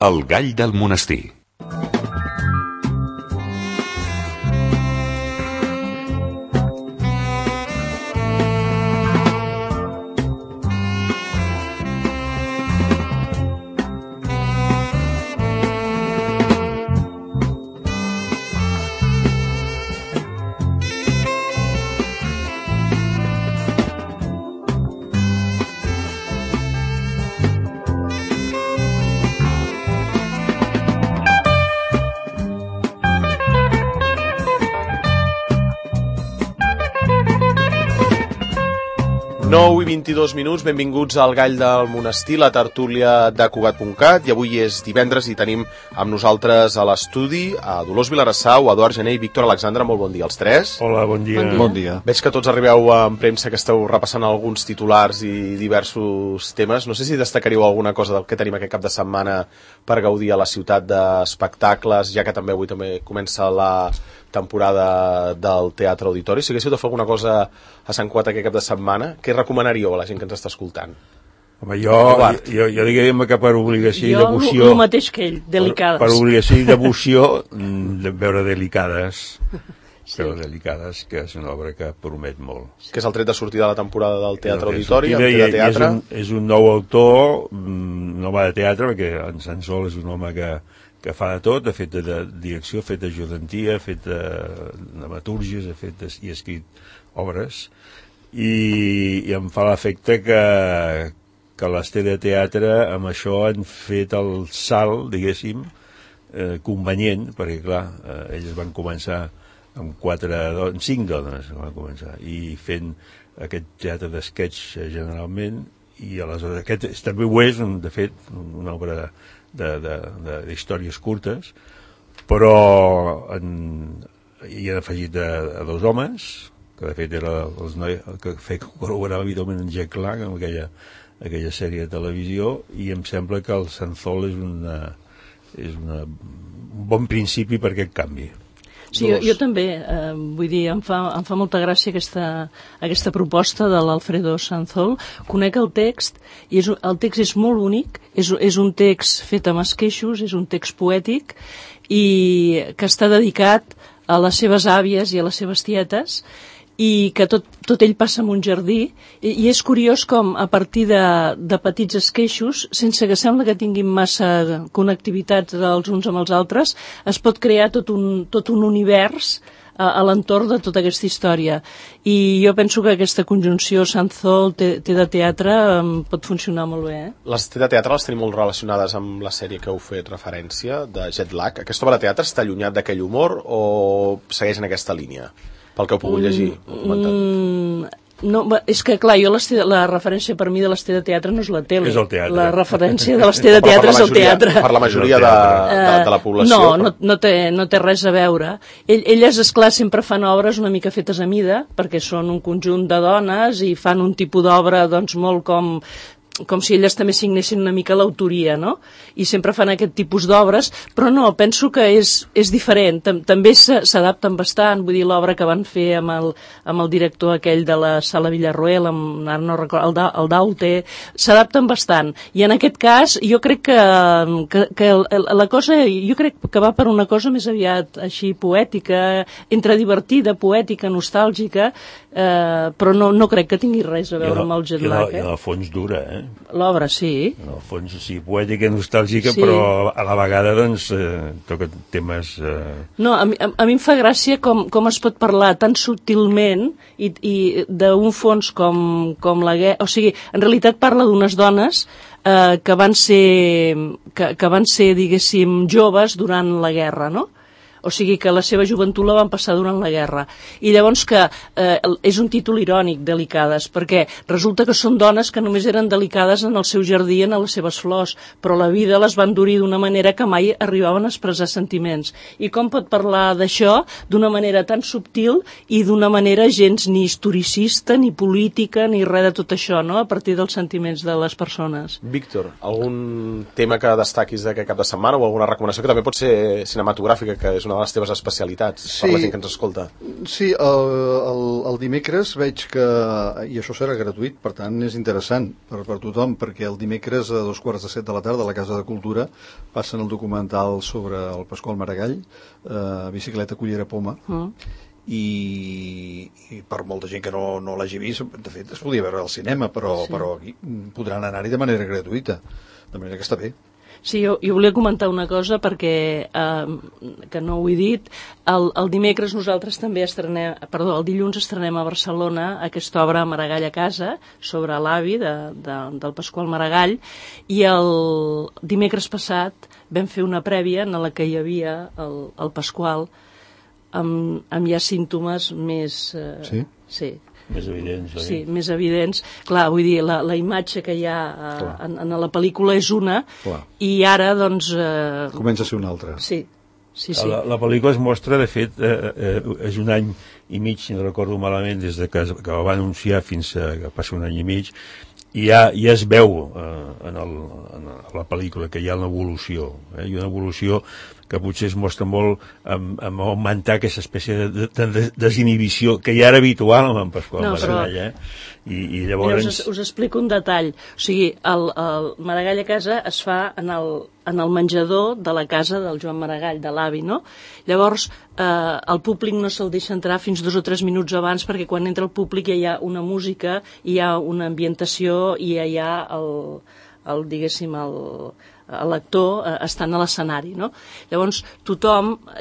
El gall del monestir. I 22 minuts, benvinguts al Gall del Monestir, la tertúlia de Cugat.cat, i avui és divendres i tenim amb nosaltres a l'estudi a Dolors Vilarassau, Eduard Gené i Víctor Alexandre. Molt bon dia als tres. Hola, bon dia. Bon dia. Veig que tots arribeu en premsa, que esteu repassant alguns titulars i diversos temes. No sé si destacaríeu alguna cosa del que tenim aquest cap de setmana per gaudir a la ciutat d'espectacles, ja que també avui també comença la temporada del Teatre Auditori. Si haguéssiu de fer alguna cosa a Sant Cugat aquest cap de setmana, què recomanaríeu a la gent que ens està escoltant? Home, jo diguem que per obligació i devoció... Jo el mateix que ell, Delicades. Per obligació i devoció, de veure Delicades. Sí. Veure Delicades, que és una obra que promet molt. Que és el tret de sortida de la temporada del Teatre Auditori, el de teatre. És un nou autor, un home de teatre, perquè en Sansol és un home que fa de tot, ha fet de direcció, ha fet d'ajudantia, ha fet de dramatúrgies, i ha escrit obres, i em fa l'efecte que l'Ester de Teatre amb això han fet el salt, diguéssim, convenient, perquè clar, elles van començar amb 5 dones van començar, i fent aquest teatre d'esquetx generalment, i aleshores aquest també ho és, de fet, una obra d'històries curtes, però hi han afegit a 2 homes, que de fet era els nois que col·laborava habitualment en Jack Lang amb aquella sèrie de televisió, i em sembla que el Sanzol és un bon principi per aquest canvi. Sí, jo també, vull dir, em fa molta gràcia aquesta proposta de l'Alfredo Sanzol. Conec el text, i el text és molt bonic, és un text fet amb esqueixos, és un text poètic, i que està dedicat a les seves àvies i a les seves tietes, i que tot ell passa en un jardí, i és curiós com a partir de petits esqueixos, sense que sembla que tinguin massa connectivitats els uns amb els altres, es pot crear tot un univers a l'entorn de tota aquesta història. I jo penso que aquesta conjunció Sanzol té de teatre pot funcionar molt bé. Les té de teatre les tenim molt relacionades amb la sèrie que heu fet referència, de Jet Lag. Aquesta obra de teatre està allunyat d'aquell humor o segueix en aquesta línia? Pel que heu pogut llegir, no, és que clar, jo la referència per mi de l'Ester de Teatre no és la tele. És el teatre. La referència de l'Ester de Teatre és el teatre. Per la majoria de la població. No té res a veure. Elles, esclar, sempre fan obres una mica fetes a mida, perquè són un conjunt de dones i fan un tipus d'obra doncs molt com si elles també signessin una mica l'autoria, no? I sempre fan aquest tipus d'obres, però no, penso que és diferent. També s'adapten bastant, vull dir, l'obra que van fer amb el director aquell de la Sala Villarroel, ara no recordo, el Daute, s'adapten bastant. I en aquest cas, jo crec que la cosa, jo crec que va per una cosa més aviat així poètica, entre divertida, poètica, nostàlgica, però no crec que tingui res a veure amb el Jet Lag. I en el fons dura, L'obra, sí. En el fons, sí, poètica, nostàlgica, sí. Però a la vegada, doncs, toca temes... No, a mi em fa gràcia com es pot parlar tan subtilment i d'un fons com la guerra... O sigui, en realitat parla d'unes dones que van ser, diguéssim, joves durant la guerra, no? O sigui que la seva joventut la van passar durant la guerra. I llavors que és un títol irònic, Delicades, perquè resulta que són dones que només eren delicades en el seu jardí, en les seves flors, però la vida les va endurir d'una manera que mai arribaven a expressar sentiments. I com pot parlar d'això d'una manera tan subtil i d'una manera gens ni historicista, ni política, ni res de tot això, no?, a partir dels sentiments de les persones. Víctor, algun tema que destaquis d'aquest cap de setmana o alguna recomanació que també pot ser cinematogràfica, que és una una de les teves especialitats, Sí. per la gent que ens escolta. Sí, el dimecres veig que, i això serà gratuït, per tant és interessant per tothom, perquè el dimecres a 2:45 de la tarda a la Casa de Cultura passen el documental sobre el Pasqual Maragall, Bicicleta, Cullera, Poma, i per molta gent que no l'hagi vist, de fet es podia veure al cinema, però aquí podran anar-hi de manera gratuïta, de manera que està bé. Sí, jo volia comentar una cosa perquè, que no ho he dit, el dimecres nosaltres també el dilluns estrenem a Barcelona aquesta obra Maragall a casa, sobre l'avi del Pasqual Maragall, i el dimecres passat vam fer una prèvia en la que hi havia el Pasqual amb ja símptomes més... Sí. Més evidents, oi? Sí, més evidents. Clar, vull dir, la imatge que hi ha en la pel·lícula és una, i ara, doncs... Comença a ser una altra. Sí. La pel·lícula es mostra, de fet, és un any i mig, si no recordo malament, des de que va anunciar fins que passa un any i mig, i ja es veu en la pel·lícula que hi ha una evolució, i una evolució que potser es mostra molt amb augmentar aquesta espècie de desinhibició que ja era habitual amb en Pasqual Maragall, i llavors... Mira, us explico un detall. O sigui, el Maragall a casa es fa en el menjador de la casa del Joan Maragall, de l'avi, no? Llavors, el públic no se'l deixa entrar fins 2 o 3 minuts abans, perquè quan entra el públic ja hi ha una música, hi ha una ambientació i ja hi ha l'actor estant a l'escenari, no? Llavors,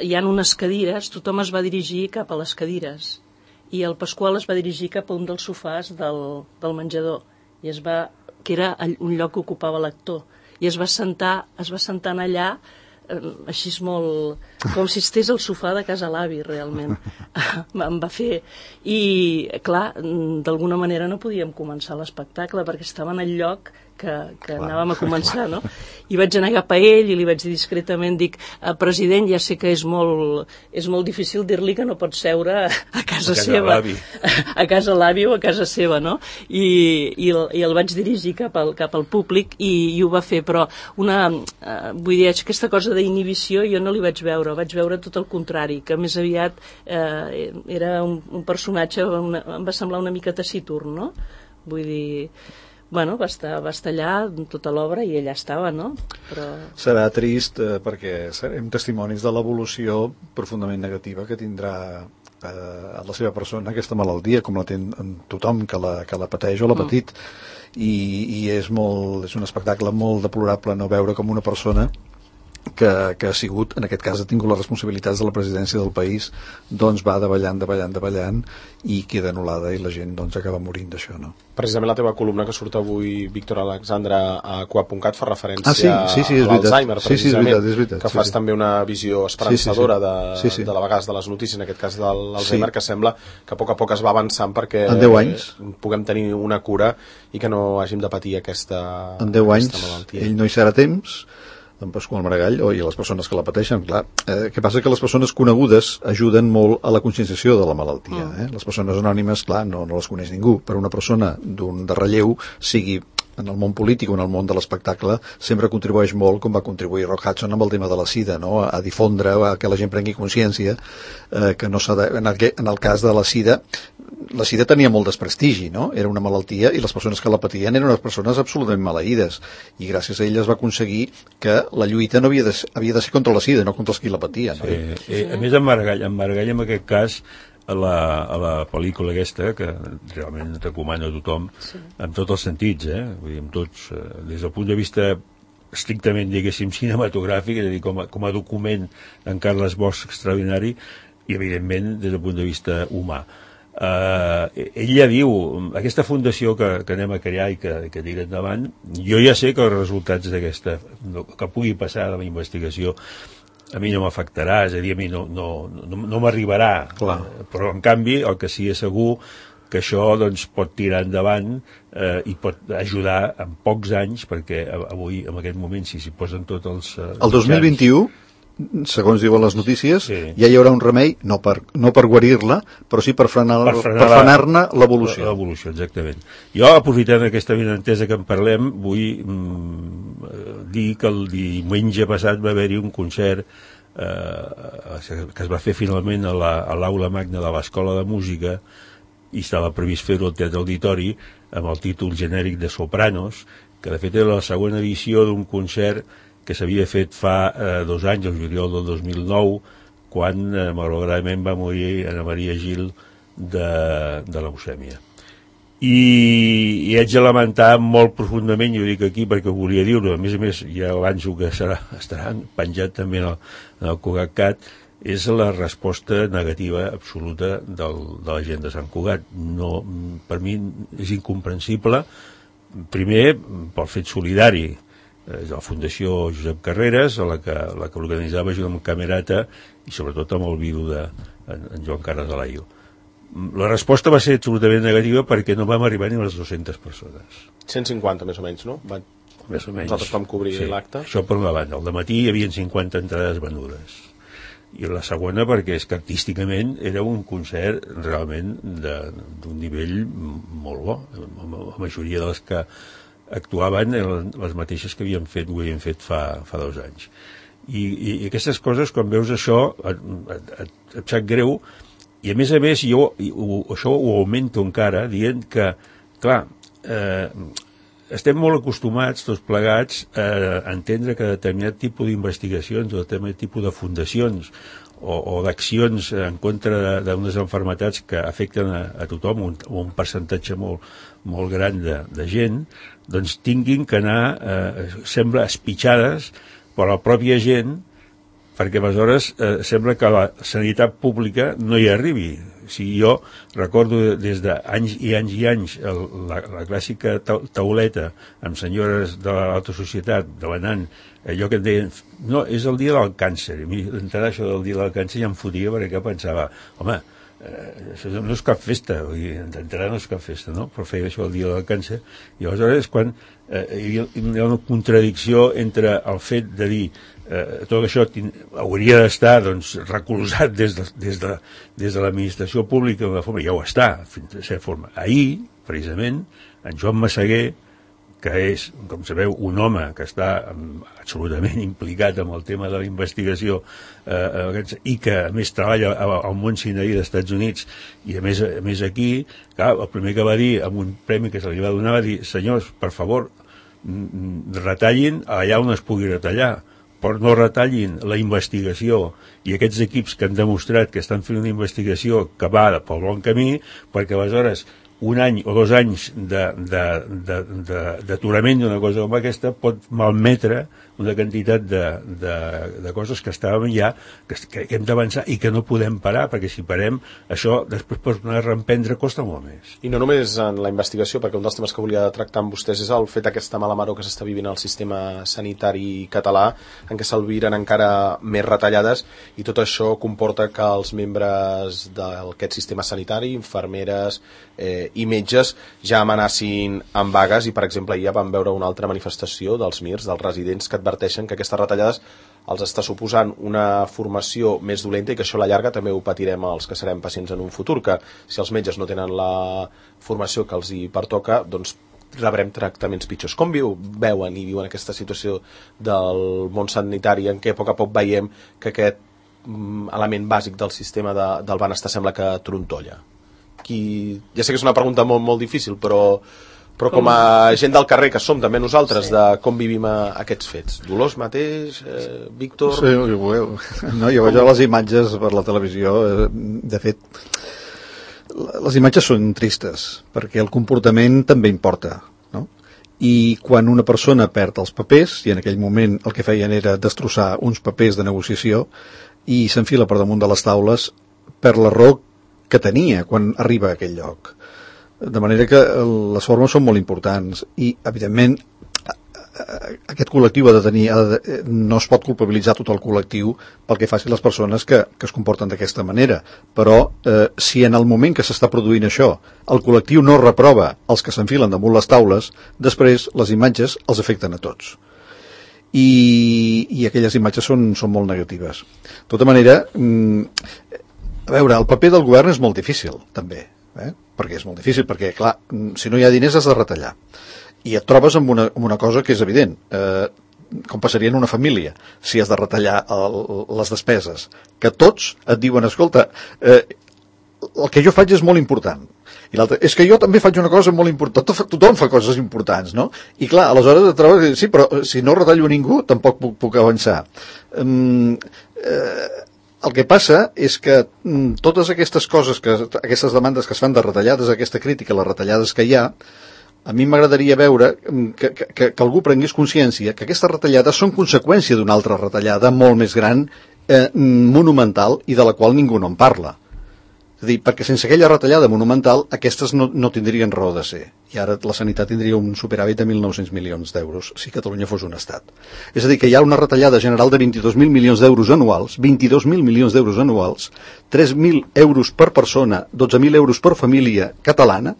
hi ha unes cadires, tothom es va dirigir cap a les cadires, i el Pasqual es va dirigir cap a un dels sofàs del menjador, que era un lloc que ocupava l'actor, i es va sentar allà, així és molt... com si estés al sofà de casa l'avi, realment. Em va fer... I, clar, d'alguna manera no podíem començar l'espectacle, perquè estava en el lloc que anàvem a començar, no? I vaig anar cap a ell i li vaig dir discretament, president, ja sé que és molt difícil dir-li que no pot seure a casa seva. A casa l'avi o a casa seva, no? I el vaig dirigir cap al públic i ho va fer, però vull dir, aquesta cosa d'inhibició jo no li vaig veure tot el contrari, que més aviat era un personatge, em va semblar una mica taciturn, no? Vull dir... Bueno, va estar allà tota l'obra i ella estava, no? Però... Serà trist perquè serem testimonis de l'evolució profundament negativa que tindrà a la seva persona aquesta malaltia, com la té tothom que la pateix o l'ha patit, i és un espectacle molt deplorable no veure com una persona que ha sigut, en aquest cas ha tingut les responsabilitats de la presidència del país, doncs va davallant i queda anul·lada i la gent doncs acaba morint d'això, no? Precisament la teva columna que surt avui, Víctor Alexandre, a Coa.cat fa referència a l'Alzheimer, precisament, és veritat, que fas també una visió esperançadora de la vegades de les notícies, en aquest cas de l'Alzheimer, que sembla que a poc es va avançant perquè en 10 anys puguem tenir una cura i que no hàgim de patir aquesta malaltia. En 10 anys ell no hi serà temps, en Pasqual Maragall, i les persones que la pateixen, clar. Que passa que les persones conegudes ajuden molt a la conscienciació de la malaltia. Les persones anònimes, clar, no les coneix ningú, però una persona de relleu, sigui en el món polític o en el món de l'espectacle, sempre contribueix molt, com va contribuir Rock Hudson amb el tema de la sida, no? A difondre, a que la gent prengui consciència que no s'ha de... En el cas de la sida tenia molt desprestigi, no? Era una malaltia i les persones que la patien eren unes persones absolutament maleïdes, i gràcies a ella es va aconseguir que la lluita no havia de ser contra la sida, no contra els qui la patien, no? A més, en Maragall en aquest cas, a la pel·lícula aquesta, que realment recomano a tothom, en tots els sentits, vull dir, amb tots, des del punt de vista estrictament, diguéssim, cinematogràfic, és a dir, com a document d'en Carles Bosch extraordinari, i evidentment des del punt de vista humà. Ell ja diu, aquesta fundació que anem a crear i que tira endavant, jo ja sé que els resultats d'aquesta, que pugui passar de la investigació, a mi no m'afectarà, és a dir, a mi no m'arribarà, però en canvi el que sí és segur que això doncs, pot tirar endavant i pot ajudar en pocs anys, perquè avui en aquest moment si s'hi posen tots els... El 2021, segons diuen les notícies, ja hi haurà un remei, no per guarir-la, però sí per frenar-ne l'evolució. L'evolució, exactament. Jo, aprofitant aquesta benentesa que en parlem, vull dir que el diumenge passat va haver-hi un concert que es va fer finalment a l'aula magna de l'Escola de Música, i estava previst fer-ho al Teatre Auditori amb el títol genèric de Sopranos, que de fet era la segona edició d'un concert que s'havia fet fa 2 anys, el juliol del 2009, quan malauradament va morir Ana Maria Gil de leucèmia. I haig de lamentar molt profundament, jo ho dic aquí perquè ho volia dir-ho, a més ja avanço que estarà penjat també en el Cugat, és la resposta negativa absoluta de la gent de Sant Cugat. No, per mi és incomprensible, primer pel fet solidari de la Fundació Josep Carreras, la que organitzava junt amb Camerata i sobretot amb el vidu en Joan Carles Alaio. La resposta va ser absolutament negativa perquè no vam arribar ni a les 200 persones. 150 més o menys, no? Més o menys. Nosaltres vam cobrir l'acte. Això per una banda. Al dematí hi havia 50 entrades venudes. I la segona perquè és que artísticament era un concert realment d'un nivell molt bo. La majoria de les que actuaven eren les mateixes que ho havien fet fa 2 anys. I aquestes coses, quan veus això, et sap greu. I a més, jo això ho augmento encara dient que, clar, estem molt acostumats, tots plegats, a entendre que determinat tipus d'investigacions o determinat tipus de fundacions o d'accions en contra d'unes malalties que afecten a tothom, un percentatge molt gran de gent, doncs tinguin que anar, sembla, espitxades per la pròpia gent, perquè aleshores sembla que la sanitat pública no hi arribi. O sigui, jo recordo des d'anys i anys i anys la clàssica tauleta amb senyores de l'alta societat demanant allò que et deien, no, és el dia del càncer. I d'entrar això del dia del càncer ja em fotia perquè pensava, home, això no és cap festa, d'entrar no és cap festa, no? Però feia això el dia del càncer. I aleshores és quan hi ha una contradicció entre el fet de dir tot això hauria d'estar recolzat des de l'administració pública d'una forma, ja ho està, fins a certa forma. Ahir, precisament, en Joan Massaguer, que és, com sabeu, un home que està absolutament implicat amb el tema de la investigació i que a més treballa al món cinerí dels Estats Units i a més aquí, clar, el primer que va dir amb un premi que se li va donar va dir, senyors, per favor, retallin allà on es pugui retallar, però no retallin la investigació i aquests equips que han demostrat que estan fent una investigació que va pel bon camí, perquè aleshores 1 any o 2 anys d'aturament d'una cosa com aquesta pot malmetre una quantitat de coses que estàvem ja, que hem d'avançar i que no podem parar, perquè si parem això després per tornar a reemprendre costa molt més. I no només en la investigació, perquè un dels temes que volia tractar amb vostès és el fet d'aquesta mala maror que s'està vivint al sistema sanitari català, en què s'albiren encara més retallades, i tot això comporta que els membres d'aquest sistema sanitari, infermeres i metges, ja amenacin amb vagues, i per exemple ja vam veure una altra manifestació dels MIRs, dels residents, que adverteixen que aquestes retallades els està suposant una formació més dolenta i que això a la llarga també ho patirem els que serem pacients en un futur, que si els metges no tenen la formació que els hi pertoca, doncs rebrem tractaments pitjors. Com veuen i viuen aquesta situació del món sanitari en què a poc veiem que aquest element bàsic del sistema del benestar sembla que trontolla? Ja sé que és una pregunta molt difícil, però com a gent del carrer que som també nosaltres, de com vivim aquests fets. Dolors mateix, Víctor... Sí, no, jo veig les imatges per la televisió, de fet les imatges són tristes perquè el comportament també importa, no? I quan una persona perd els papers, i en aquell moment el que feien era destrossar uns papers de negociació i s'enfila per damunt de les taules per l'error que tenia quan arriba a aquell lloc. De manera que les formes són molt importants i, evidentment, aquest col·lectiu no es pot culpabilitzar tot el col·lectiu pel que facin les persones que es comporten d'aquesta manera, però si en el moment que s'està produint això el col·lectiu no reprova els que s'enfilen damunt les taules, després les imatges els afecten a tots. I aquelles imatges són molt negatives. De tota manera, a veure, el paper del govern és molt difícil, també, perquè és molt difícil, perquè, clar, si no hi ha diners has de retallar. I et trobes amb una cosa que és evident. com passaria en una família, si has de retallar les despeses, que tots et diuen, escolta, el que jo faig és molt important, i l'altre, és que jo també faig una cosa molt important, tothom fa coses importants, no? I clar, aleshores et trobes, sí, però si no retallo ningú, tampoc puc avançar. El que passa és que totes aquestes coses, aquestes demandes que es fan de retallades, aquesta crítica a les retallades que hi ha, a mi m'agradaria veure que algú prengués consciència que aquestes retallades són conseqüència d'una altra retallada molt més gran, monumental, i de la qual ningú no en parla. És a dir, perquè sense aquella retallada monumental aquestes no tindrien raó de ser. I ara la sanitat tindria un superàvit de 1.900 milions d'euros si Catalunya fos un estat. És a dir, que hi ha una retallada general de 22.000 milions d'euros anuals, 22.000 milions d'euros anuals, 3.000 euros per persona, 12.000 euros per família catalana,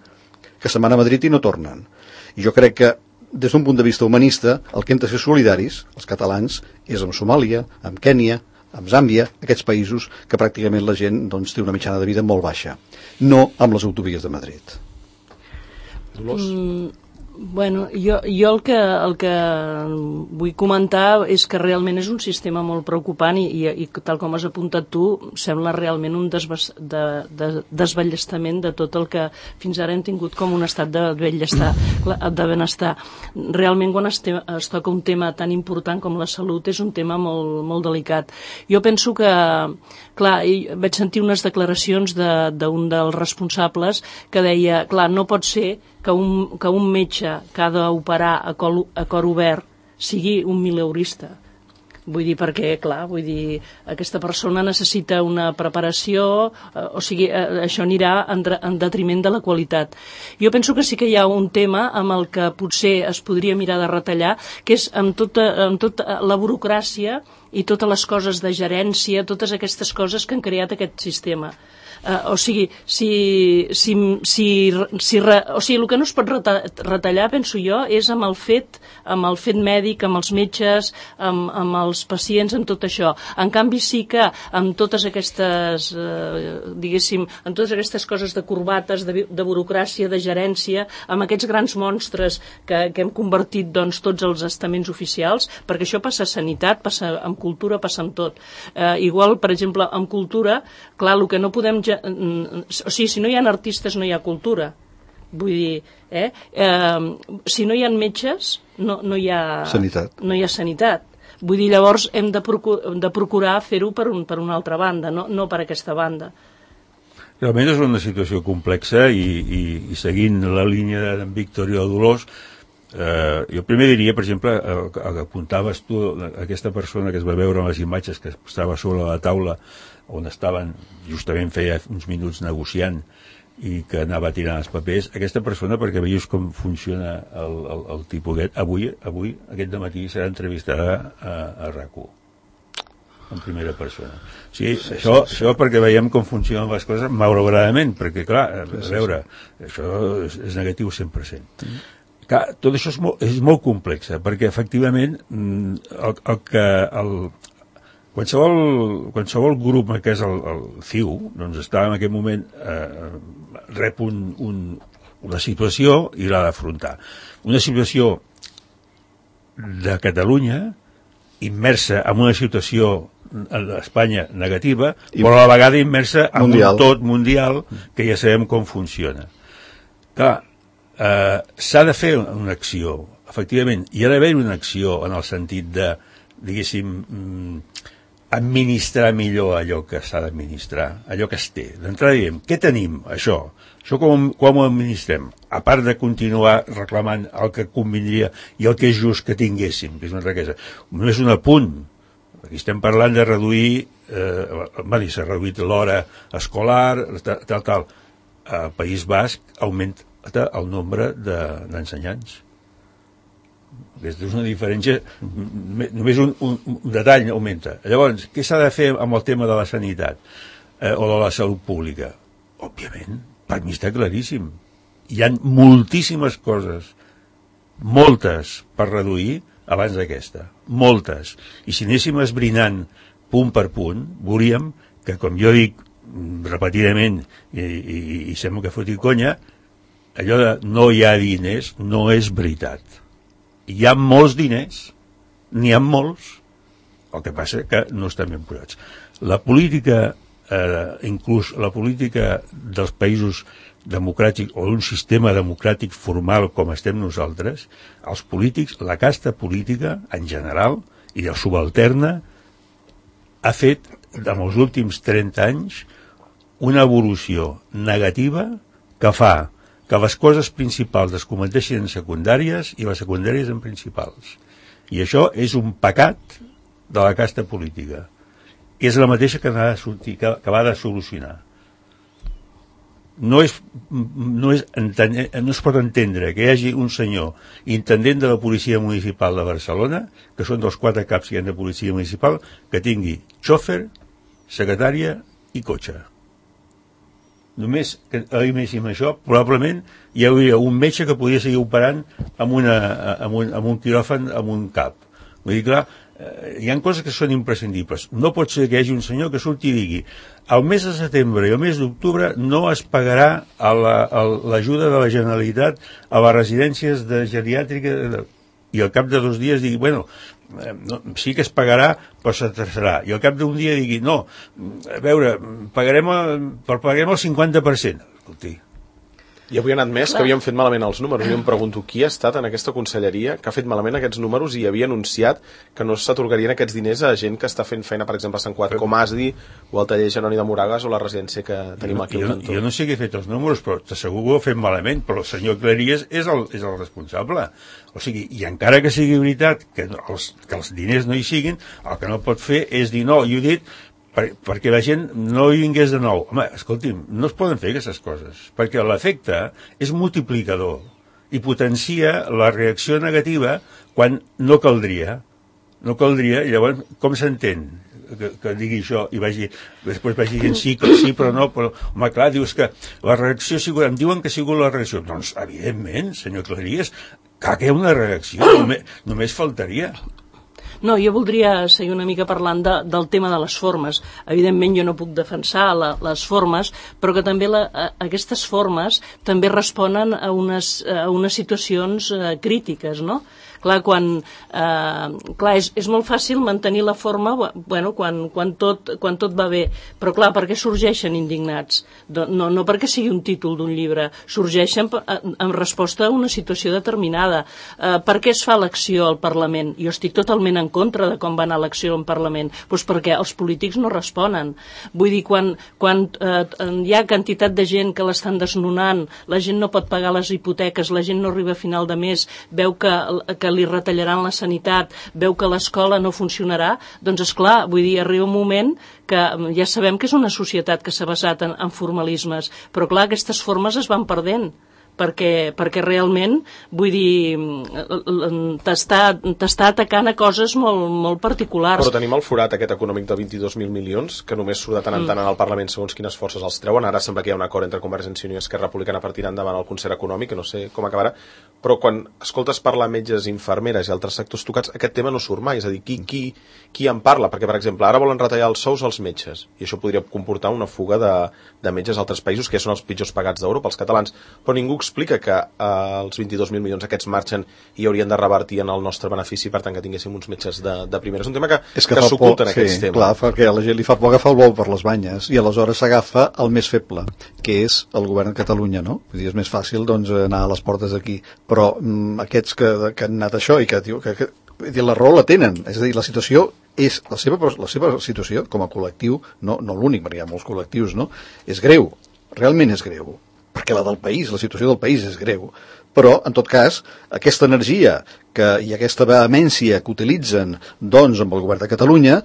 que se'n van a Madrid i no tornen. I jo crec que, des d'un punt de vista humanista, el que hem de ser solidaris, els catalans, és amb Somàlia, amb Kènia, amb Zàmbia, aquests països que pràcticament la gent doncs, té una mitjana de vida molt baixa, no amb les autovies de Madrid. Dolors? Bueno, jo el que vull comentar és que realment és un sistema molt preocupant i tal com has apuntat tu, sembla realment un desballestament de tot el que fins ara hem tingut com un estat de benestar. Realment quan es toca un tema tan important com la salut és un tema molt, molt delicat. Jo penso que, clar, vaig sentir unes declaracions d'un dels responsables que deia, clar, no pot ser que un metge que ha d'operar a cor obert sigui un mileurista. Vull dir, perquè, clar, aquesta persona necessita una preparació, o sigui, això anirà en detriment de la qualitat. Jo penso que sí que hi ha un tema amb el que potser es podria mirar de retallar, que és amb tota la burocràcia i totes les coses de gerència, totes aquestes coses que han creat aquest sistema. O sigui, el que no es pot retallar, penso jo, és amb el fet mèdic, amb els metges, amb els pacients, amb tot això. En canvi, sí que amb totes aquestes, amb totes aquestes coses de corbates, de burocràcia, de gerència, amb aquests grans monstres que hem convertit doncs, tots els estaments oficials, perquè això passa a sanitat, passa amb cultura, passa amb tot. Igual, per exemple, amb cultura, clar, el que no podem... O sigui, si no hi ha artistes no hi ha cultura. Vull dir, si no hi ha metges no hi ha sanitat. No hi ha sanitat. Vull dir, llavors hem de procurar fer-ho per una altra banda, no per aquesta banda. Realment és una situació complexa i seguint la línia d'en Víctor i de Dolors, jo primer diria, per exemple, que apuntaves tu, aquesta persona que es va veure en les imatges que estava sobre la taula on estaven, justament feia uns minuts negociant i que anava tirant els papers, aquesta persona, perquè veies com funciona el tipus aquest, avui aquest dematí serà entrevistada a RAC1 en primera persona. O sigui, això perquè veiem com funcionen les coses malauradament, perquè clar, a veure, això és negatiu 100%. Clar, tot això és molt complex, perquè efectivament qualsevol grup que és el CiU doncs està en aquest moment rep una situació i l'ha d'afrontar. Una situació de Catalunya immersa en una situació a Espanya negativa, però a la vegada immersa en un tot mundial que ja sabem com funciona. Clar, s'ha de fer una acció, efectivament, hi ha d'haver una acció en el sentit de, diguéssim, administrar millor allò que s'ha d'administrar, allò que es té. D'entrada diem, què tenim, això? Això com ho administrem? A part de continuar reclamant el que convindria i el que és just que tinguéssim, que és una riquesa. Només un apunt. Aquí estem parlant de reduir, s'ha reduït l'hora escolar, tal. Al País Basc augmenta el nombre d'ensenyants. És una diferència, només un detall augmenta. Llavors, què s'ha de fer amb el tema de la sanitat o de la salut pública? Òbviament, per mi està claríssim. Hi ha moltíssimes coses, moltes per reduir abans d'aquesta, moltes. I si anéssim esbrinant punt per punt, veuríem que, com jo dic repetidament, i sembla que foti conya, allò de no hi ha diners no és veritat. Hi ha molts diners, n'hi ha molts, el que passa que no estan ben posats. La política, inclús la política dels països democràtics o d'un sistema democràtic formal com estem nosaltres, els polítics, la casta política en general i el subalterna ha fet en els últims 30 anys una evolució negativa que fa que les coses principals es converteixin en secundàries i les secundàries en principals. I això és un pecat de la casta política. És la mateixa que ha de sortir, que va de solucionar. No es pot entendre que hi hagi un senyor intendent de la policia municipal de Barcelona, que són dels 4 caps que hi ha de policia municipal, que tingui xòfer, secretària i cotxe. Només que imaginem això, probablement hi hauria un metge que podria seguir operant amb un quiròfan amb un cap. Vull dir, clar, hi ha coses que són imprescindibles. No pot ser que hi hagi un senyor que surti i digui el mes de setembre i el mes d'octubre no es pagarà l'ajuda de la Generalitat a les residències de geriàtrica i al cap de 2 dies digui, bueno, sí que es pagarà, però s'atrasarà. I al cap d'un dia digui, no, a veure, pagarem el 50%. Escolti. I avui han admès que havien fet malament els números. Jo em pregunto qui ha estat en aquesta conselleria que ha fet malament aquests números i havia anunciat que no s'atorgarien aquests diners a gent que està fent feina, per exemple, a Sant Cugat, com ASDI o el taller Jeroni de Moragas o la residència que tenim aquí al cantó. Jo no sé qui ha fet els números, però t'asseguro que ho ha fet malament, però el senyor Cleries és el responsable. O sigui, i encara que sigui veritat que els diners no hi siguin, el que no pot fer és dir no, i ho he dit perquè la gent no hi vingués de nou. Home, escolti'm, no es poden fer aquestes coses, perquè l'efecte és multiplicador i potencia la reacció negativa quan no caldria. No caldria, i llavors, com s'entén que digui això i després vagi dient sí, però no, però, home, clar, dius que la reacció ha sigut, em diuen que ha sigut la reacció. Doncs, evidentment, senyor Cleries, que hi ha una reacció, només faltaria. No, jo voldria seguir una mica parlant del tema de les formes. Evidentment jo no puc defensar les formes, però que també aquestes formes també responen a unes situacions crítiques, no? Clar, és molt fàcil mantenir la forma quan tot va bé, però clar, per què sorgeixen indignats? No perquè sigui un títol d'un llibre, sorgeixen en resposta a una situació determinada. Per què es fa l'acció al Parlament? Jo estic totalment en contra de com va anar l'acció al Parlament, doncs perquè els polítics no responen. Vull dir, quan hi ha quantitat de gent que l'estan desnonant, la gent no pot pagar les hipoteques, la gent no arriba a final de mes, veu que li retallaran la sanitat, veu que l'escola no funcionarà, doncs esclar, vull dir, arriba un moment que ja sabem que és una societat que s'ha basat en formalismes, però clar, aquestes formes es van perdent, perquè realment, vull dir, t'està atacant a coses molt particulars. Però tenim el forat aquest econòmic de 22.000 milions, que només surt de tant en tant en el Parlament segons quines forces els treuen. Ara sembla que hi ha un acord entre Convergència i Unió i Esquerra Republicana per tirar endavant el concert econòmic, que no sé com acabarà, però quan escoltes parlar metges, infermeres i altres sectors tocats, aquest tema no surt mai, és a dir, qui en parla? Perquè, per exemple, ara volen retallar els sous als metges, i això podria comportar una fuga de metges a altres països, que són els pitjors pagats d'Europa, els catalans, però ningú explica que els 22.000 milions aquests marxen i haurien de revertir en el nostre benefici, per tant que tinguéssim uns metges de primera. És un tema que s'oculta en aquests temes. Clar, perquè a la gent li fa por agafar el bou per les banyes i aleshores s'agafa el més feble, que és el govern de Catalunya, no? Vull dir, és més fàcil doncs, anar a les portes d'aquí, però aquests que han anat això i que diu que la raó la tenen, és a dir, la situació és la seva situació com a col·lectiu, no l'únic, perquè hi ha molts col·lectius, no? És greu, realment és greu, perquè la del país, la situació del país és greu, però en tot cas aquesta energia i aquesta vehemència que utilitzen doncs amb el govern de Catalunya,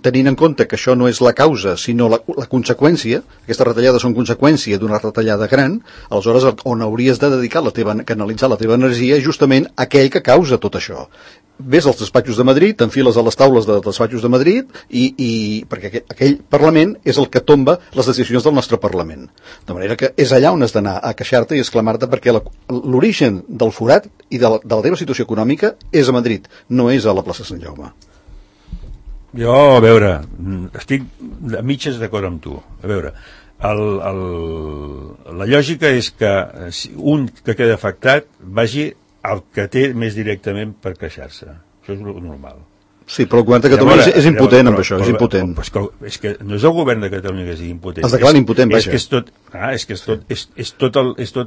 tenint en compte que això no és la causa sinó la conseqüència, aquestes retallades són conseqüència d'una retallada gran, aleshores on hauries de dedicar canalitzar la teva energia justament aquell que causa tot això. Ves als despatxos de Madrid, t'enfiles a les taules dels despatxos de Madrid i perquè aquell Parlament és el que tomba les decisions del nostre Parlament. De manera que és allà on has d'anar a queixar-te i exclamar-te perquè l'origen del forat i de la teva situació econòmica és a Madrid, no és a la plaça Sant Jaume. Jo, a veure, estic a mitges d'acord amb tu. A veure, la lògica és que un que queda afectat vagi el que té més directament per queixar-se. Això és normal. Sí, però el govern de Catalunya és impotent amb això, és impotent. És que no és el govern de Catalunya que és impotent. Es declara impotent, vaja. És tot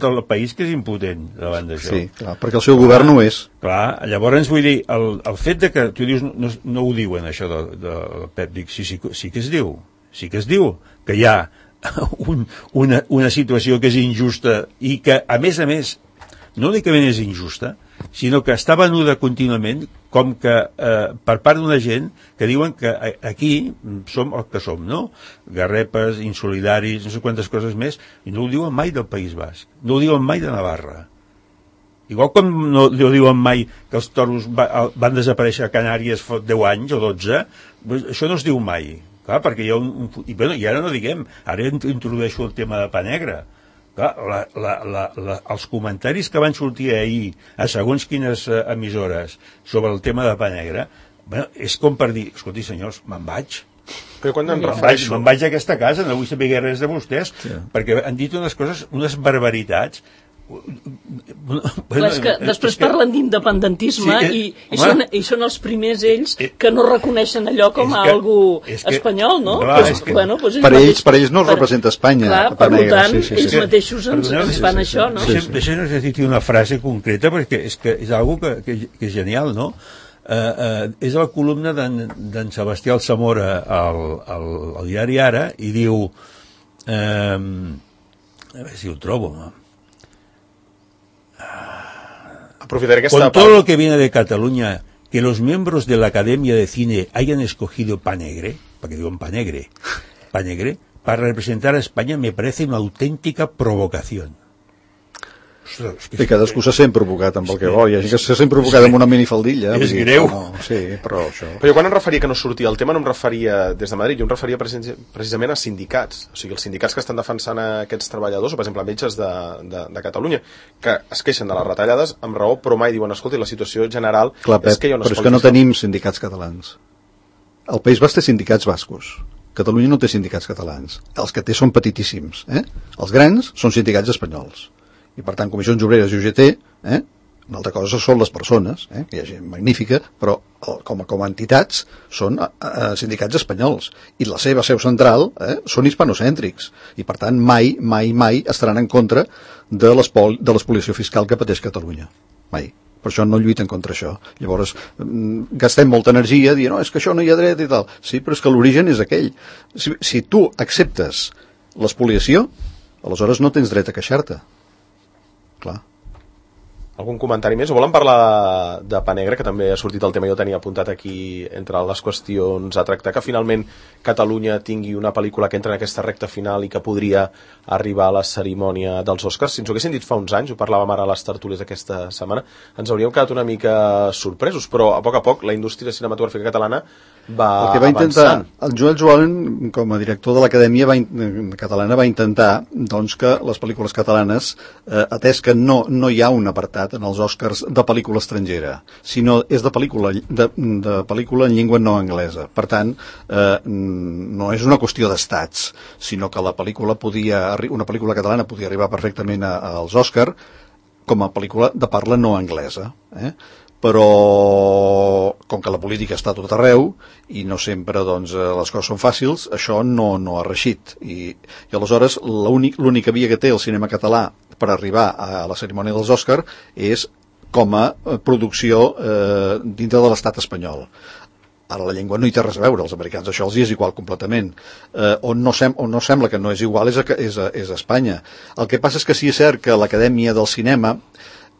el país que és impotent davant d'això. Sí, clar, perquè el seu govern no és. Clar, llavors vull dir, el fet de que tu dius, no ho diuen això del Pep, dic, sí que es diu que hi ha una situació que és injusta i que, a més, no únicament és injusta, sinó que està venuda contínuament com que per part d'una gent que diuen que aquí som el que som, no? Garrepes, insolidaris, no sé quantes coses més, i no ho diuen mai del País Basc, no ho diuen mai de Navarra. Igual com no diuen mai que els toros van desaparèixer a Canàries fa 10 anys o 12, això no es diu mai. Clar, perquè hi ha i ara no diguem, ara introdueixo el tema de Pa Negre. Clar, els comentaris que van sortir ahir a segons quines emissores sobre el tema de Pa Negre, és com per dir, escolti senyors, me'n vaig. Però quan em refereixo? Me'n vaig a aquesta casa, no vull saber res de vostès, perquè han dit unes coses, unes barbaritats. És que després parlen d'independentisme i són els primers ells que no reconeixen allò com a algú espanyol, no? Per ells no representa Espanya. Clar, per tant, ells mateixos ens fan això, no? Deixa'ns dir una frase concreta, perquè és algo que és genial, no? És la columna d'en Sebastià Alsamora al diari Ara, i diu, a veure si ho trobo, Con todo lo que viene de Cataluña, que los miembros de la Academia de Cine hayan escogido Pa Negre, para que digan Pa Negre, para representar a España, me parece una auténtica provocación. I cadascú se sent provocat amb el que vol. Hi ha gent que se sent provocat amb una minifaldilla. És greu. Sí, però això... Però jo quan em referia que no sortia el tema no em referia des de Madrid, jo em referia precisament a sindicats, o sigui, els sindicats que estan defensant aquests treballadors, o per exemple metges de Catalunya, que es queixen de les retallades amb raó, però mai diuen, escolti, la situació general és que hi ha un però és que no tenim sindicats catalans. El País Basc té sindicats bascos. Catalunya no té sindicats catalans. Els que té són petitíssims. Els grans són sindicats espanyols. I per tant, Comissions Obreres i UGT, una altra cosa són les persones, que hi ha gent magnífica, però com a entitats són sindicats espanyols, i la seva seu central són hispanocèntrics, i per tant mai estaran en contra de l'espoliació fiscal que pateix Catalunya. Mai. Per això no lluiten contra això. Llavors, gastem molta energia dient, no, és que això no hi ha dret i tal. Sí, però és que l'origen és aquell. Si tu acceptes l'espoliació, aleshores no tens dret a queixar-te. Clar. Algun comentari més? O volen parlar de Pa Negre, que també ha sortit el tema, jo tenia apuntat aquí entre les qüestions a tractar, que finalment Catalunya tingui una pel·lícula que entra en aquesta recta final i que podria arribar a la cerimònia dels Oscars. Si ens ho haguessin dit fa uns anys, ho parlàvem ara a les tertúlies aquesta setmana, ens hauríem quedat una mica sorpresos, però a poc la indústria cinematogràfica catalana va avançant. El Joel Joan, com a director de l'Acadèmia Catalana, va intentar doncs, que les pel·lícules catalanes, atès que no hi ha un apartat en els Oscars de pel·lícula estrangera, sinó és de pel·lícula en llengua no anglesa. Per tant, no és una qüestió d'estats, sinó que una pel·lícula catalana podia arribar perfectament als Oscars com a pel·lícula de parla no anglesa. Però com que la política està a tot arreu i no sempre doncs, les coses són fàcils, això no ha reixit. I aleshores l'única via que té el cinema català per arribar a la cerimònia dels Òscars és com a producció dintre de l'estat espanyol. Ara la llengua no hi té res a veure, els americans això els és igual completament. On no sembla que no és igual és a Espanya. El que passa és que sí és cert que l'Acadèmia del Cinema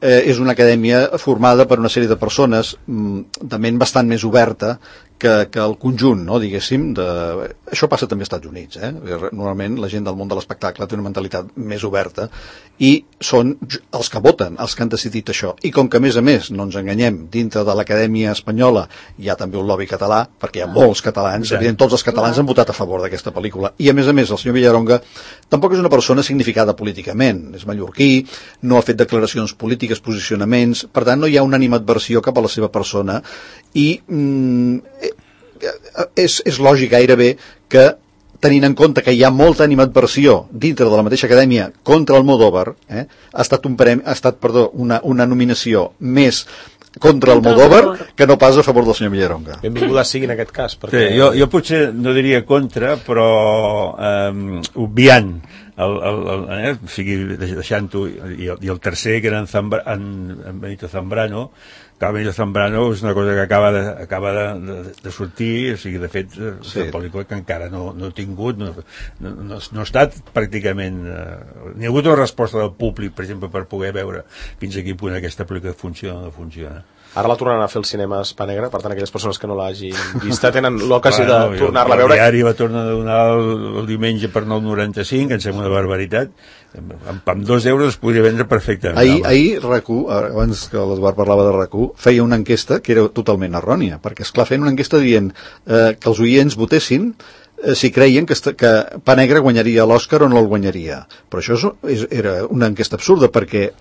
és una acadèmia formada per una sèrie de persones de ment bastant més oberta que el conjunt, no, diguéssim, això passa també als Estats Units, Normalment la gent del món de l'espectacle té una mentalitat més oberta i són els que voten, els que han decidit això. I com que a més no ens enganyem, dintre de l'Acadèmia Espanyola hi ha també un lobby català, perquè hi ha molts catalans, evident, tots els catalans han votat a favor d'aquesta pel·lícula. I a més el senyor Villaronga tampoc és una persona significada políticament, és mallorquí, no ha fet declaracions polítiques, posicionaments, per tant no hi ha una animadversió cap a la seva persona i és lògic gairebé que, tenint en compte que hi ha molta animadversió dintre de la mateixa acadèmia contra Almodóvar, ha estat una nominació més contra Almodóvar que no pas a favor del senyor Villaronga. Benvinguda sigui en aquest cas. Perquè... Sí, jo potser no diria contra, però obviant o sigui, deixant-ho, i el tercer, que era en Benito Zambrano, que Benito Zambrano és una cosa que acaba de sortir, o sigui, de fet, és una pel·lícula que encara no ha tingut, no ha estat pràcticament... Ni ha hagut una resposta del públic, per exemple, per poder veure fins a quin punt aquesta pel·lícula funciona o no funciona. Ara la tornaran a fer al cinema Spa Negra, per tant, aquelles persones que no l'hagin vista tenen l'ocasió de tornar-la a veure. El diari va tornar a donar el diumenge per 9,95, que em sembla una barbaritat. Amb 2 euros es podria vendre perfectament. Ahir RAC1, abans que l'Eduard parlava de RAC1, feia una enquesta que era totalment errònia, perquè, esclar, feien una enquesta dient que els oients votessin si creien que Pa Negre guanyaria l'Òscar o no el guanyaria. Però això era una enquesta absurda, perquè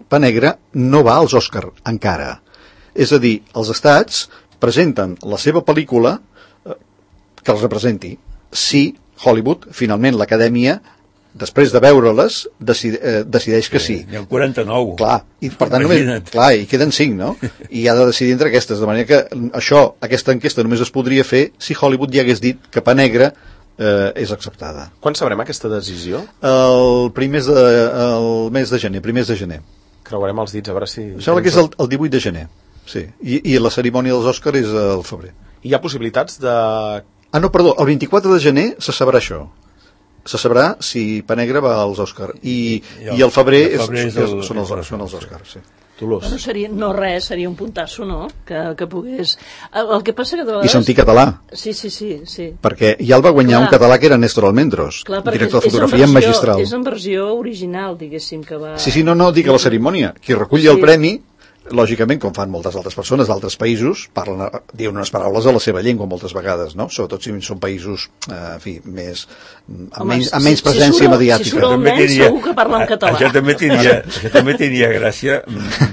Pa Negre no va als Òscar encara. És a dir, els estats presenten la seva pel·lícula que els representi. Si Hollywood, finalment l'Acadèmia, després de veure-les, decideix que sí. N'hi ha 49. Clar, i per tant i queden 5, no? I ha de decidir entre aquestes, de manera que aquesta enquesta només es podria fer si Hollywood ja hagués dit que Pa Negre és acceptada. Quan sabrem aquesta decisió? El mes de gener, primers de gener. Creuarem els dits, a veure si... Em sembla que és el 18 de gener, sí. I la cerimònia dels Òscars és al febrer. Hi ha possibilitats de... No, perdó, el 24 de gener se sabrà això. Se sabrà si Pa Negre va als Òscars. I el febrer són els Òscars, sí. Bueno, seria un puntasso, no? Que pogués... El que passa que de vegades... I sentir català. Sí. Perquè ja el va guanyar un català que era Néstor Almendros, director de fotografia magistral. És en versió original, diguéssim, que va... Sí, no, dic a la cerimònia. Qui reculli el premi, lògicament, com fan moltes altres persones d'altres països, diuen unes paraules a la seva llengua moltes vegades, no? Sobretot si són països, amb menys presència mediàtica. Si surt el nen, segur que parla en català. Això també tenia gràcia,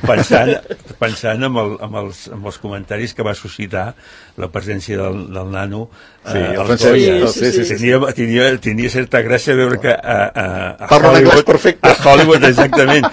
pensant amb els comentaris que va suscitar la presència del nano. Tenia certa gràcia veure que a Hollywood, exactament,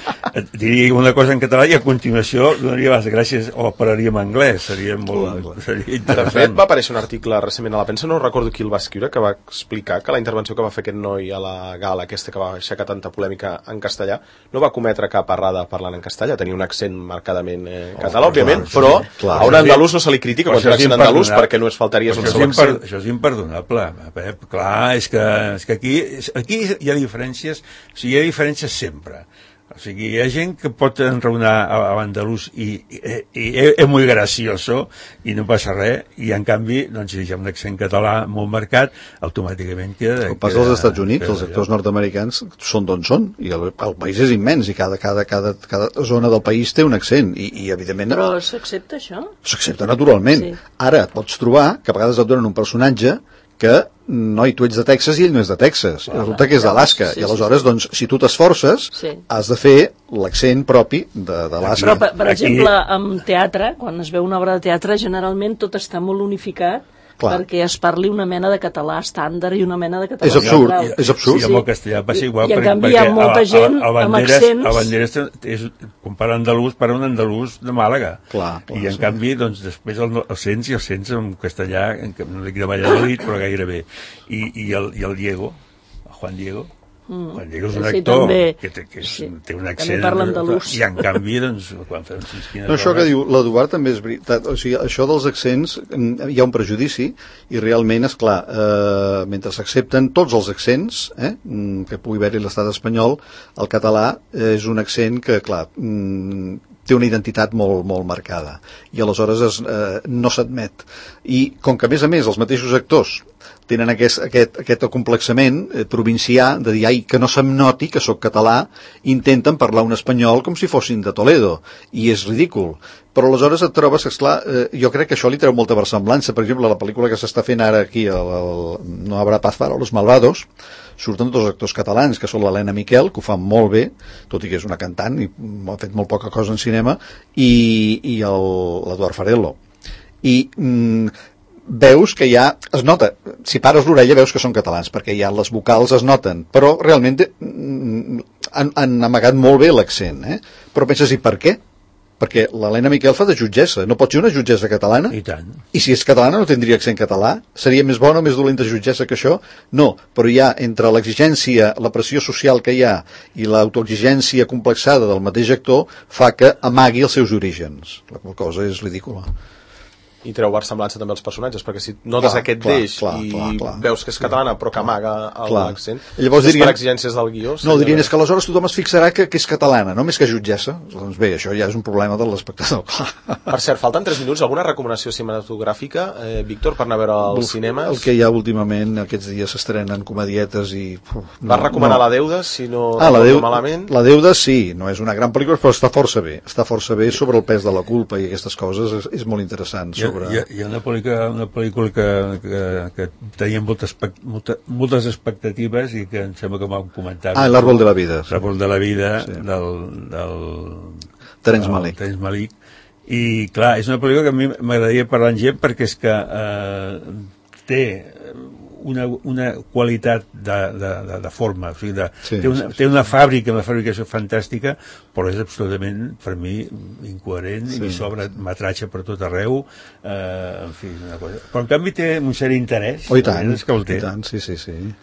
diria una cosa en català i a continuació donaria les gràcies o parlaria en anglès. Seria interessant. De fet, va aparèixer un article recentment a la premsa, no recordo qui el va escriure, que va explicar que la intervenció que va fer aquest noi a la gala aquesta que va aixecar tanta polèmica en castellà no va cometre cap errada parlant en castellà, tenia un accent marcadament català, òbviament, però a un andalús no se li critica quan té un accent andalús perquè no es faltaria el seu accent. Això és imperdonable, Pep. Clar, és que aquí hi ha diferències, o sigui, hi ha diferències sempre. O sigui, hi ha gent que pot enraonar a l'andalús i és molt gracioso i no passa res, i en canvi, doncs, si hi ha un accent català molt marcat, automàticament queda... El pas dels Estats Units, els actors nord-americans són d'on són, i el país és immens, i cada zona del país té un accent, i evidentment... Però s'accepta això? S'accepta naturalment. Sí. Ara et pots trobar que a vegades et donen un personatge que, noi, tu ets de Texas i ell no és de Texas, resulta que és d'Alaska, i aleshores, doncs, si tu t'esforces, has de fer l'accent propi d'Alaska. Però, per exemple, en teatre, quan es veu una obra de teatre, generalment tot està molt unificat, perquè es parli una mena de català estàndard i una mena de català... És absurd. Sí, amb el castellà passa igual, i en canvi hi ha molta gent amb accents... A Banderes, quan parla andalús, parla un andalús de Màlaga. I en canvi, doncs, després els sents en castellà, no dic de Valladolid, però gairebé. I el Diego, el Juan Diego és un actor que té un accent i en canvi doncs quan fem això que diu l'Eduard també és veritat, o sigui, això dels accents hi ha un prejudici i realment és clar, mentre s'accepten tots els accents que pugui haver-hi l'estat espanyol, el català és un accent que clar té una identitat molt, molt marcada i aleshores no s'admet, i com que a més els mateixos actors tenen aquest acomplexament provincià de dir, que no se'm noti que sóc català, intenten parlar un espanyol com si fossin de Toledo, i és ridícul. Però aleshores et trobes, esclar, jo crec que això li treu molta versemblança. Per exemple, la pel·lícula que s'està fent ara aquí, No habrá paz para los malvados, surten dos actors catalans, que són l'Helena Miquel, que ho fan molt bé, tot i que és una cantant, i ha fet molt poca cosa en cinema, i l'Eduard Farello. I veus que ja es nota, si pares l'orella veus que són catalans, perquè ja les vocals es noten, però realment han amagat molt bé l'accent, però penses, i per què? perquè l'Helena Miquel fa de jutgessa, no pot ser una jutgessa catalana? I tant. I si és catalana no tindria accent català? Seria més bona o més dolenta jutgessa que això? No, però hi ha entre l'exigència, la pressió social que hi ha i l'autoexigència complexada del mateix actor fa que amagui els seus orígens. La qual cosa és ridícula. I treu versemblança també als personatges, perquè si notes aquest deix i veus que és catalana però que amaga l'accent, llavors dirien, per exigències del guió... No, dirien és que aleshores tothom es fixarà que és catalana, no més que jutgessa. Doncs bé, això ja és un problema de l'espectador. Per cert, falten 3 minuts. Alguna recomanació cinematogràfica, Víctor, per anar a veure als cinemes? El que hi ha últimament, aquests dies s'estrenen comedietes i... Vas recomanar La Deuda, si no recordo malament? La Deuda sí, no és una gran pel·lícula, però està força bé. Està força bé sobre el pes de la culpa i aquestes coses, és molt interessant. Hi ha una pel·lícula que tenia moltes expectatives i que em sembla que m'han comentat. L'Àrbol de la vida. L'Àrbol de la vida, sí. del Terence Malick. Terence Malick. I clar, és una pel·lícula que a mi m'agradaria parlar amb gent perquè és que té una qualitat de forma, o sigui, té una fàbrica, una fabricació fantàstica, però és absolutament, per mi, incoherent i s'obre metratge per tot arreu, en fi, una cosa. Però en canvi té un cert interès. I tant, sí.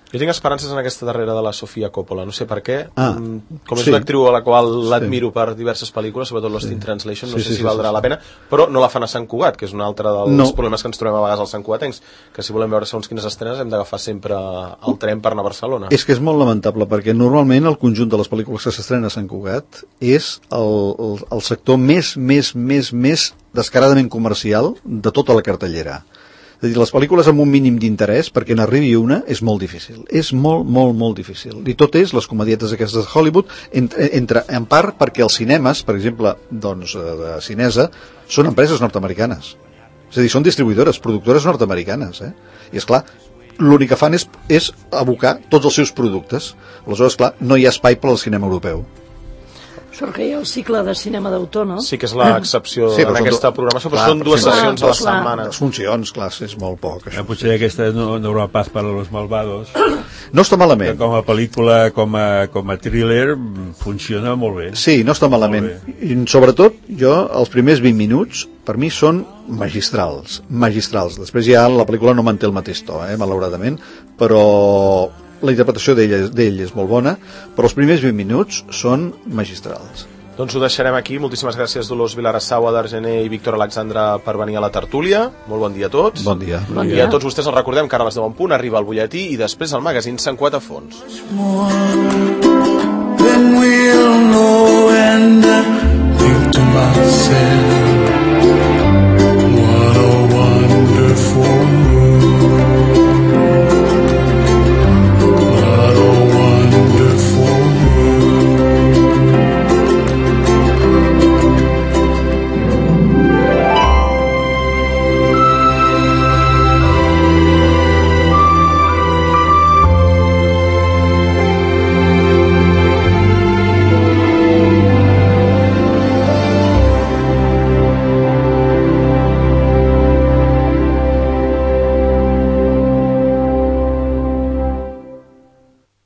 Jo tinc esperances en aquesta darrera de la Sofia Coppola, no sé per què, com és una actriu a la qual l'admiro per diverses pel·lícules, sobretot Lost in Translation, no sé si valdrà la pena, però no la fan a Sant Cugat, que és un altre dels problemes que ens trobem a vegades als santcugatencs, que si volem veure segons quines estrenes hem d'agafar sempre el tren per anar a Barcelona. És que és molt lamentable, perquè normalment el conjunt de les pel·lícules que s'estrenen a Sant Cugat és el sector més descaradament comercial de tota la cartellera. És a dir, les pel·lícules amb un mínim d'interès perquè n'arribi una és molt difícil. És molt difícil. I tot és les comedietes aquestes de Hollywood, en part perquè els cinemes, per exemple, doncs, de Cinesa, són empreses nord-americanes. És a dir, són distribuïdores, productores nord-americanes. I, esclar, l'únic que fan és abocar tots els seus productes. Aleshores, clar, no hi ha espai per al cinema europeu. Sort que hi ha el cicle de cinema d'autor, no? Sí que és l'excepció en aquesta programació, però són 2 sessions a la setmana. 2 funcions, clar, és molt poc. Potser aquesta no haurà pas per a los malvados. No està malament. Com a pel·lícula, com a thriller, funciona molt bé. Sí, no està malament. I sobretot, els primers 20 minuts, per mi són magistrals. Després ja la pel·lícula no manté el mateix to, malauradament, però la interpretació d'ell és molt bona, però els primers 20 minuts són magistrals. Doncs ho deixarem aquí. Moltíssimes gràcies Dolors Vilarassau, Adar Gené i Víctor Alexandra per venir a la tertúlia. Molt bon dia a tots. Bon dia. I a tots vostès els recordem que ara a les 10 en punt arriba el butlletí i després el magazín Sant Cugat a fons. Then we'll know and think to myself